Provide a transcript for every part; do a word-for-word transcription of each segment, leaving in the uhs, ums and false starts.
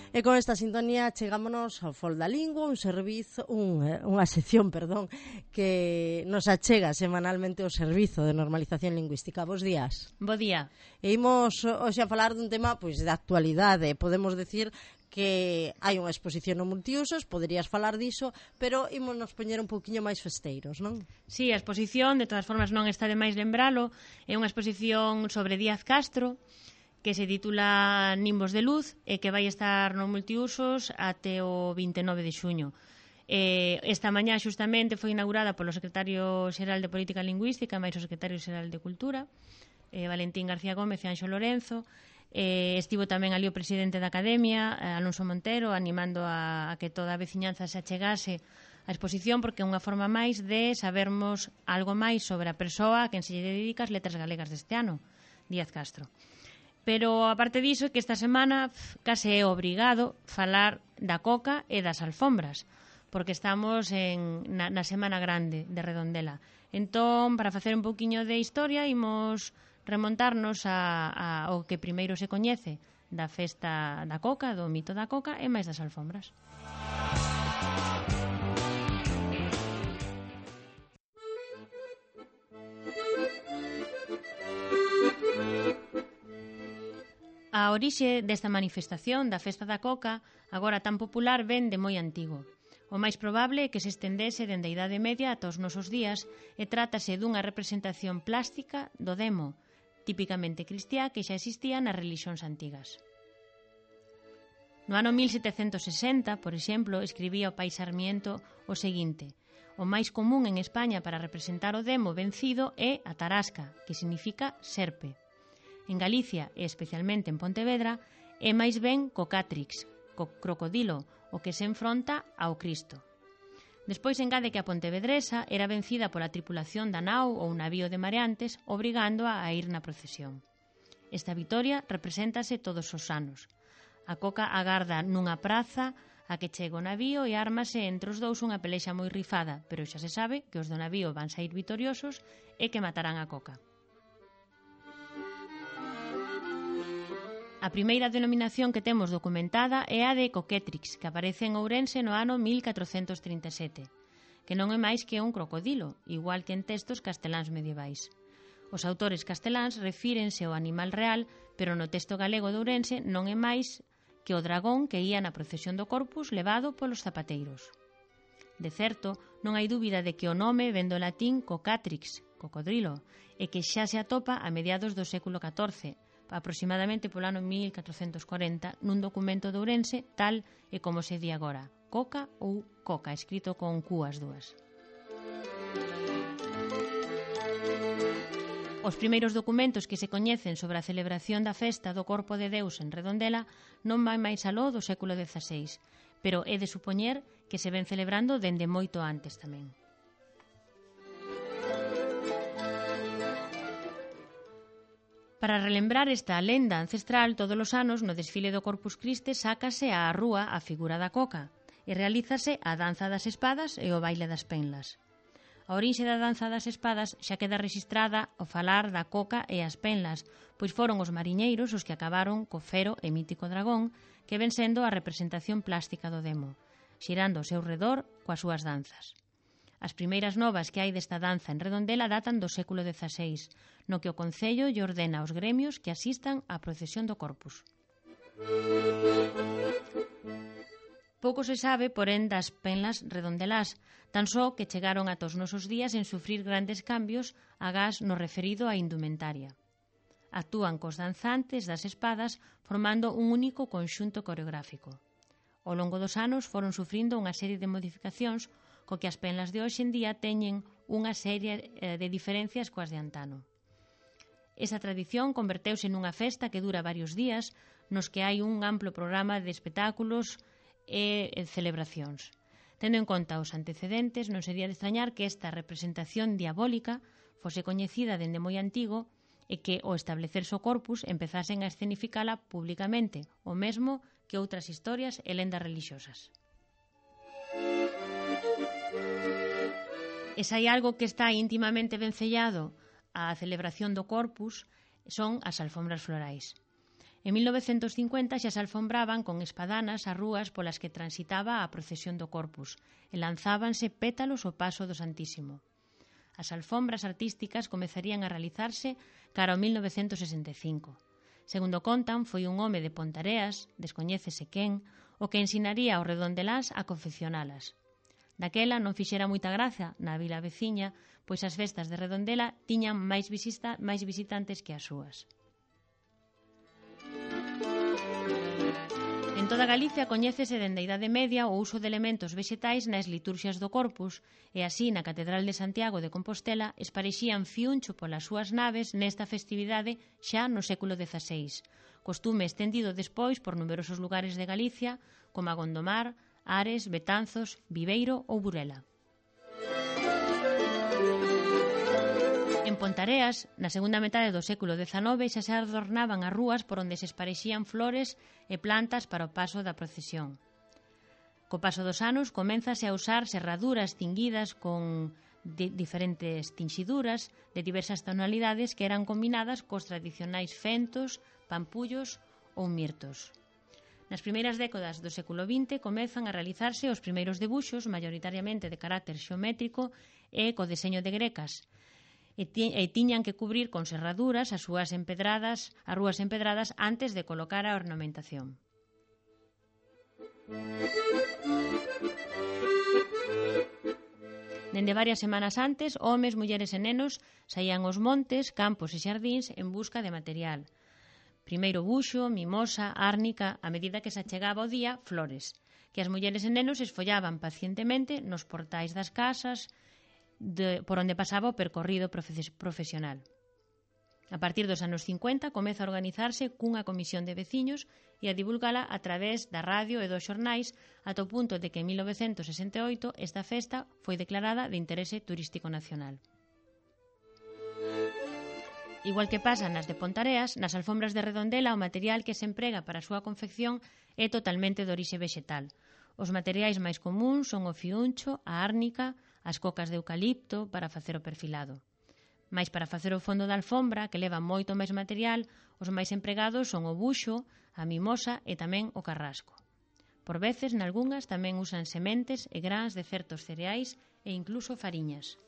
E con esta sintonía chegámonos ao Fol da Lingua, un servizo, un, unha sección, perdón, que nos achega semanalmente o Servizo de Normalización Lingüística. Bos días. Bo día. E imos hoxe a falar dun tema pois de actualidade. Podemos decir que hai unha exposición no Multiusos, poderías falar diso, pero imos nos poñer un pouquiño máis festeiros, non? Sí, a exposición, de todas formas non está de máis lembralo, é unha exposición sobre Díaz Castro, que se titula Nimbos de Luz e que vai estar no Multiusos até o vinte e nove de xuño. Eh, esta mañá xustamente foi inaugurada polo secretario xeral de Política Lingüística máis o secretario xeral de Cultura, eh, Valentín García Gómez e Anxo Lorenzo. Eh, estivo tamén ali o presidente da Academia, eh, Alonso Montero, animando a, a que toda a veciñanza se achegase a exposición, porque é unha forma máis de sabermos algo máis sobre a persoa a quen se lle dedica as letras galegas deste ano, Díaz Castro. Pero, aparte diso, que esta semana case é obrigado falar da coca e das alfombras, porque estamos en, na, na Semana Grande de Redondela. Entón, para facer un pouquiño de historia, imos remontarnos a, a, ao que primeiro se coñece da festa da coca, do mito da coca e máis das alfombras. A orixe desta manifestación da Festa da Coca, agora tan popular, ven de moi antigo. O máis probable é que se estendese dende a Idade Media ata os nosos días e trátase dunha representación plástica do demo, típicamente cristiá, que xa existía nas relixións antigas. No ano mil setecentos sesenta, por exemplo, escribía o pai Sarmiento o seguinte: o máis común en España para representar o demo vencido é a tarasca, que significa serpe. En Galicia, e especialmente en Pontevedra, é máis ben cocátrix, co crocodilo, o que se enfronta ao Cristo. Despois engade que a pontevedresa era vencida pola tripulación da nao ou navío de mareantes, obrigándoa a ir na procesión. Esta vitoria represéntase todos os anos. A coca agarda nunha praza a que chega o navío e ármase entre os dous unha pelexa moi rifada, pero xa se sabe que os do navío van sair vitoriosos e que matarán a coca. A primeira denominación que temos documentada é a de Coquetrix, que aparece en Ourense no ano mil catrocentos trinta e sete, que non é máis que un crocodilo, igual que en textos casteláns medievais. Os autores casteláns refírense ao animal real, pero no texto galego de Ourense non é máis que o dragón que ía na procesión do Corpus levado polos zapateiros. De certo, non hai dúbida de que o nome ven do latín cocatrix, cocodrilo, e que xa se atopa a mediados do século catorce, aproximadamente polo ano mil catrocentos corenta, nun documento de Ourense, tal e como se di agora, coca ou coca, escrito con Q as dúas. Os primeiros documentos que se coñecen sobre a celebración da festa do Corpo de Deus en Redondela non vai máis aló do século dezaseis, pero é de supoñer que se ven celebrando dende moito antes tamén. Para relembrar esta lenda ancestral, todos os anos no desfile do Corpus Christi sácase á rúa a figura da coca e realízase a danza das espadas e o baile das penlas. A orixe da danza das espadas xa queda rexistrada ao falar da coca e as penlas, pois foron os mariñeiros os que acabaron co fero e mítico dragón, que ven sendo a representación plástica do demo, xirando ao seu redor coas súas danzas. As primeiras novas que hai desta danza en Redondela datan do século dezaseis, no que o Concello lle ordena aos gremios que asistan á procesión do Corpus. Pouco se sabe, porén, das penlas redondelás, tan só que chegaron ata os nosos días en sufrir grandes cambios agás no referido á indumentaria. Actúan cos danzantes das espadas formando un único conxunto coreográfico. Ao longo dos anos foron sufrindo unha serie de modificacións co que as penlas de hoxe en día teñen unha serie de diferencias coas de antano. Esa tradición converteuse nunha festa que dura varios días, nos que hai un amplo programa de espectáculos e celebracións. Tendo en conta os antecedentes, non sería de extrañar que esta representación diabólica fose coñecida dende moi antigo e que, ao establecerse o Corpus, empezasen a escenificala públicamente, o mesmo que outras historias e lendas religiosas. E se hai algo que está íntimamente vencellado á celebración do Corpus, son as alfombras florais. En mil novecentos cincuenta xa se alfombraban con espadanas as rúas polas que transitaba a procesión do Corpus e lanzábanse pétalos ao paso do Santísimo. As alfombras artísticas comezarían a realizarse cara ao mil novecentos sesenta e cinco. Segundo contan, foi un home de Pontareas, descoñécese quen, o que ensinaría aos redondeláns a confeccionalas. Daquela non fixera moita graza na vila veciña, pois as festas de Redondela tiñan máis, visita, máis visitantes que as súas. En toda Galicia coñécese dende a Idade Media o uso de elementos vexetais nas liturxias do Corpus e así na Catedral de Santiago de Compostela esparexían fiuncho polas súas naves nesta festividade xa no século dezaseis, costume estendido despois por numerosos lugares de Galicia como a Gondomar, Ares, Betanzos, Viveiro ou Burela. En Pontareas, na segunda metade do século dezanove, xa se adornaban as rúas por onde se esparexían flores e plantas para o paso da procesión. Co paso dos anos, coménzase a usar serraduras tinguidas con di- diferentes tinxiduras de diversas tonalidades que eran combinadas cos tradicionais fentos, pampullos ou mirtos. Nas primeiras décadas do século vinte comezan a realizarse os primeiros debuxos, maioritariamente de carácter xeométrico e co deseño de grecas, e, ti, e tiñan que cubrir con serraduras as súas empedradas, as rúas empedradas antes de colocar a ornamentación. Dende varias semanas antes, homes, mulleres e nenos saían aos montes, campos e xardíns en busca de material. Primeiro buxo, mimosa, árnica, a medida que se achegaba o día, flores, que as mulleres e nenos esfollaban pacientemente nos portais das casas de, por onde pasaba o percorrido profe- profesional. A partir dos anos cincuenta comeza a organizarse cunha comisión de veciños e a divulgala a través da radio e dos xornais ata o punto de que en mil novecentos sesenta e oito esta festa foi declarada de interese turístico nacional. Igual que pasa nas de Pontareas, nas alfombras de Redondela o material que se emprega para a súa confección é totalmente de orixe vexetal. Os materiais máis comuns son o fiuncho, a árnica, as cocas de eucalipto para facer o perfilado. Mais para facer o fondo da alfombra, que leva moito máis material, os máis empregados son o buxo, a mimosa e tamén o carrasco. Por veces, nalgunhas tamén usan sementes e grans de certos cereais e incluso fariñas.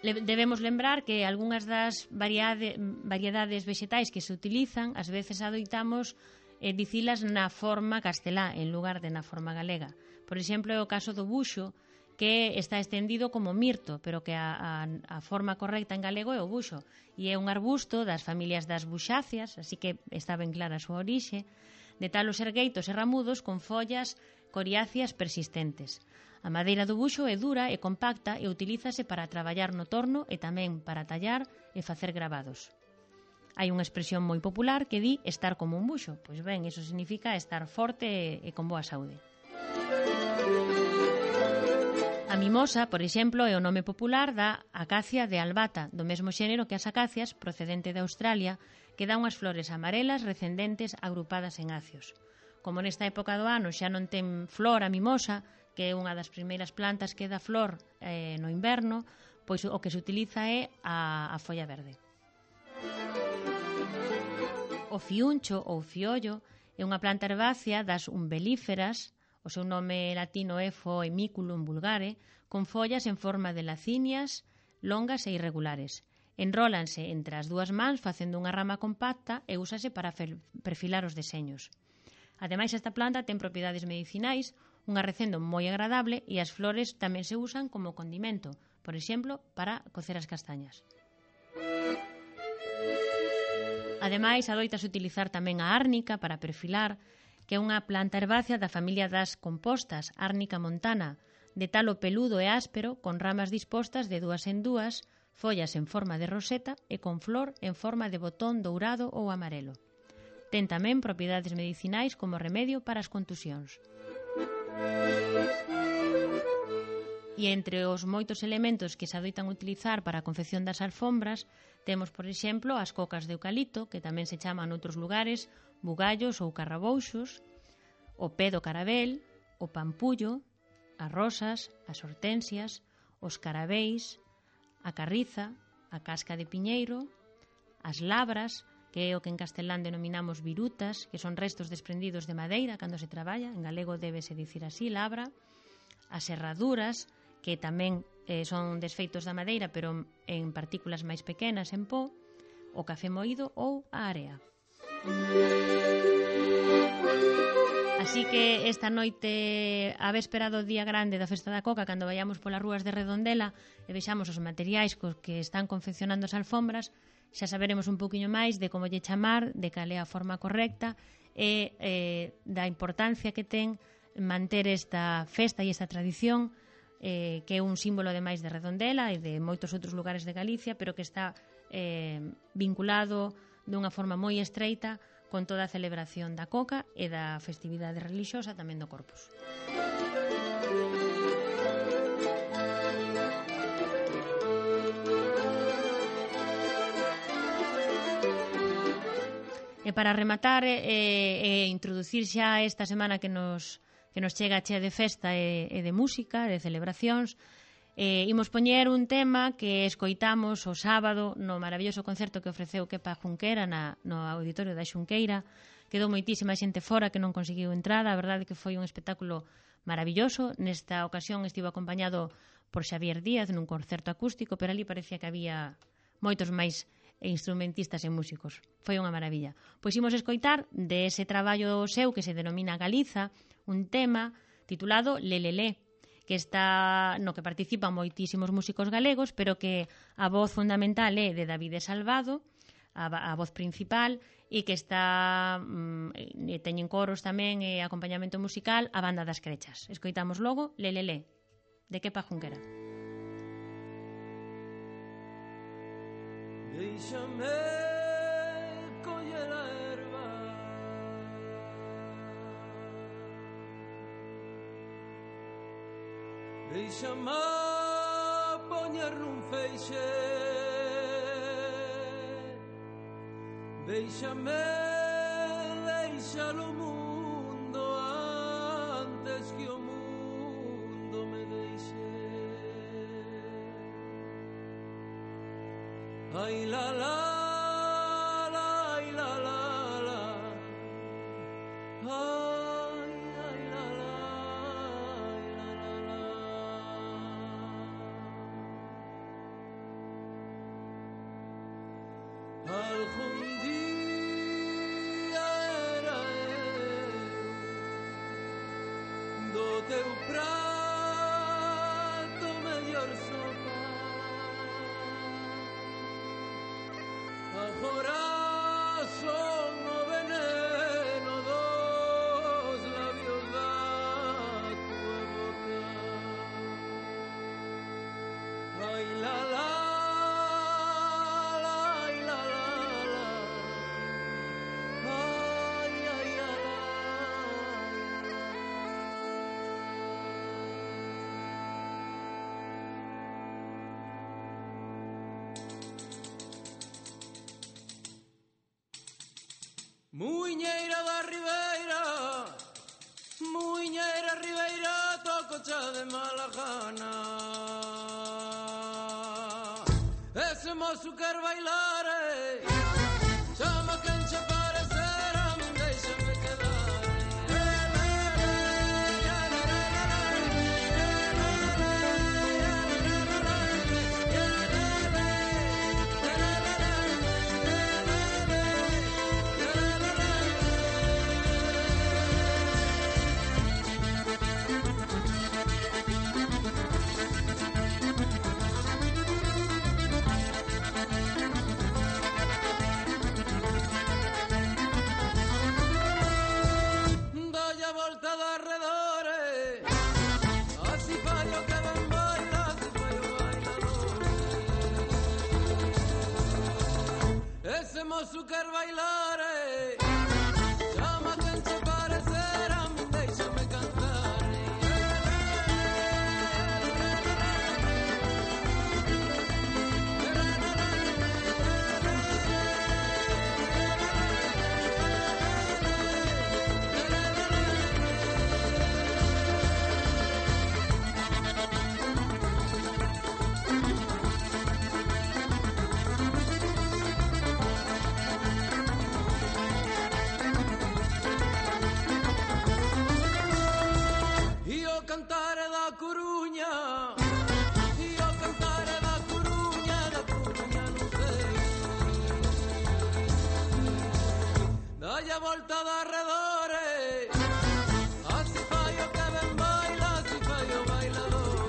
Debemos lembrar que algunhas das variade, variedades vexetais que se utilizan, ás veces adoitamos eh, dicilas na forma castelá en lugar de na forma galega. Por exemplo, é o caso do buxo, que está estendido como mirto, pero que a, a, a forma correcta en galego é o buxo, e é un arbusto das familias das buxáceas, así que está ben clara a súa orixe, de talos ergueitos e ramudos con follas coriáceas persistentes. A madeira do buxo é dura e compacta e utilízase para traballar no torno e tamén para tallar e facer gravados. Hai unha expresión moi popular que di estar como un buxo. Pois ben, iso significa estar forte e con boa saúde. A mimosa, por exemplo, é o nome popular da acacia de albata, do mesmo xénero que as acacias, procedente de Australia, que dá unhas flores amarelas recendentes agrupadas en acios. Como nesta época do ano xa non ten flor a mimosa, que é unha das primeiras plantas que dá flor eh, no inverno, pois o que se utiliza é a, a folla verde. O fiuncho ou fiollo é unha planta herbácea das umbelíferas, o seu nome latino é Foemiculum vulgare, con follas en forma de lacinias, longas e irregulares. Enrólanse entre as dúas mans facendo unha rama compacta e úsase para perfilar os deseños. Ademais, esta planta ten propiedades medicinais, un arrecendo moi agradable e as flores tamén se usan como condimento, por exemplo, para cocer as castañas. Ademais, adoitase utilizar tamén a árnica para perfilar, que é unha planta herbácea da familia das compostas, árnica montana, de talo peludo e áspero, con ramas dispostas de dúas en dúas, follas en forma de roseta e con flor en forma de botón dourado ou amarelo. Ten tamén propiedades medicinais como remedio para as contusións. E entre os moitos elementos que se adoitan utilizar para a confección das alfombras, temos, por exemplo, as cocas de eucalipto, que tamén se chaman noutros lugares bugallos ou carrabouxos, o pé do carabel, o pampullo, as rosas, as hortensias, os carabeis, a carriza, a casca de piñeiro, as labras, que é o que en castelán denominamos virutas, que son restos desprendidos de madeira cando se traballa, en galego débese dicir así, labra, as serraduras, que tamén eh, son desfeitos da madeira, pero en partículas máis pequenas en pó, o café moído ou a area. Así que esta noite, a véspera do día grande da Festa da Coca, cando vayamos polas rúas de Redondela e vexamos os materiais cos que están confeccionando as alfombras, xa saberemos un poquinho máis de como lle chamar, de cal é a forma correcta e eh, da importancia que ten manter esta festa e esta tradición eh, que é un símbolo ademais de Redondela e de moitos outros lugares de Galicia, pero que está eh, vinculado dunha forma moi estreita con toda a celebración da Coca e da festividade relixiosa tamén do Corpus. E para rematar e, e introducir xa esta semana que nos, que nos chega chea de festa e, e de música, de celebracións, eh, imos poñer un tema que escoitamos o sábado no maravilloso concerto que ofreceu Kepa Junquera na, no auditorio da Xunqueira. Quedou moitísima xente fora que non conseguiu entrada, a verdade que foi un espectáculo maravilloso. Nesta ocasión estivo acompañado por Xavier Díaz nun concerto acústico, pero ali parecía que había moitos máis e instrumentistas e músicos. Foi unha maravilla. Pois imos escoitar de ese traballo seu que se denomina Galiza, un tema titulado Lelelé, que está no que participan moitísimos músicos galegos, pero que a voz fundamental é de David Salvado, a, a voz principal, e que está mm, e teñen coros tamén e acompañamento musical a Banda das Crechas. Escoitamos logo Lelelé, de Kepa Junquera. Déixame coller a erva, déixame poñer nun feixe, déixame deixar o mundo antes que o mundo me deixe. Ay la la la, ay la la la, ay ay la la, ay la la la. Algún día era eu do teu prato mellor sopa. Agora son o veneno dos labios da tua boca. Ai la la, ai la la la, ai ai la la. Muiñeira da Ribeira, Muiñeira Ribeira, tococha de mala gana. Ese mozo quer bailar, chama quen che parecerá, deixame quedar. Ese mozo quer bailar, chama quen che parecerá, deixame cantar. cantar da Coruña, e o cantar da Coruña, da Coruña non sei. Dalle a volta de arredores, así fai o que ben baila, así fai o bailador.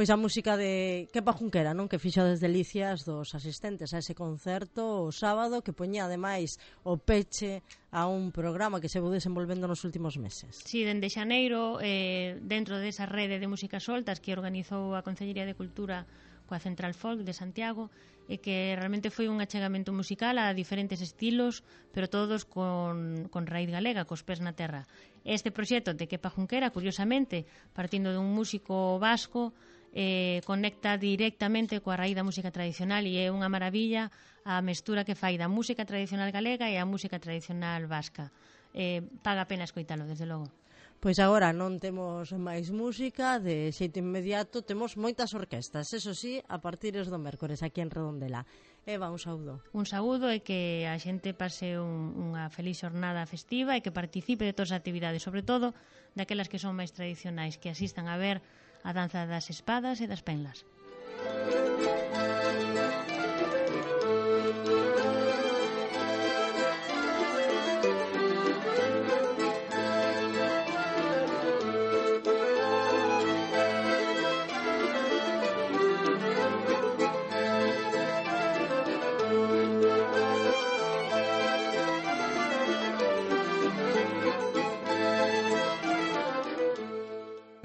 Pois a música de Kepa Junquera, non? Que fixo as delicias dos asistentes a ese concerto o sábado, que poñía ademais o peche a un programa que se veu desenvolvendo nos últimos meses. Si, sí, dende xaneiro, eh, dentro desa rede de músicas soltas que organizou a Concellería de Cultura coa Central Folk de Santiago, e que realmente foi un achegamento musical a diferentes estilos, pero todos con, con raíz galega, cos pés na terra. Este proxecto de Kepa Junquera, curiosamente, partindo dun músico vasco, eh, conecta directamente coa raíz da música tradicional, e é unha maravilla a mestura que fai da música tradicional galega e a música tradicional vasca. Eh, paga a pena escoitalo, desde logo. Pois agora non temos máis música, de xeito inmediato temos moitas orquestas, eso sí, a partires do mércores aquí en Redondela. Eva, un saúdo. Un saúdo e que a xente pase un, unha feliz xornada festiva e que participe de todas as actividades, sobre todo daquelas que son máis tradicionais, que asistan a ver a danza das espadas e das penlas.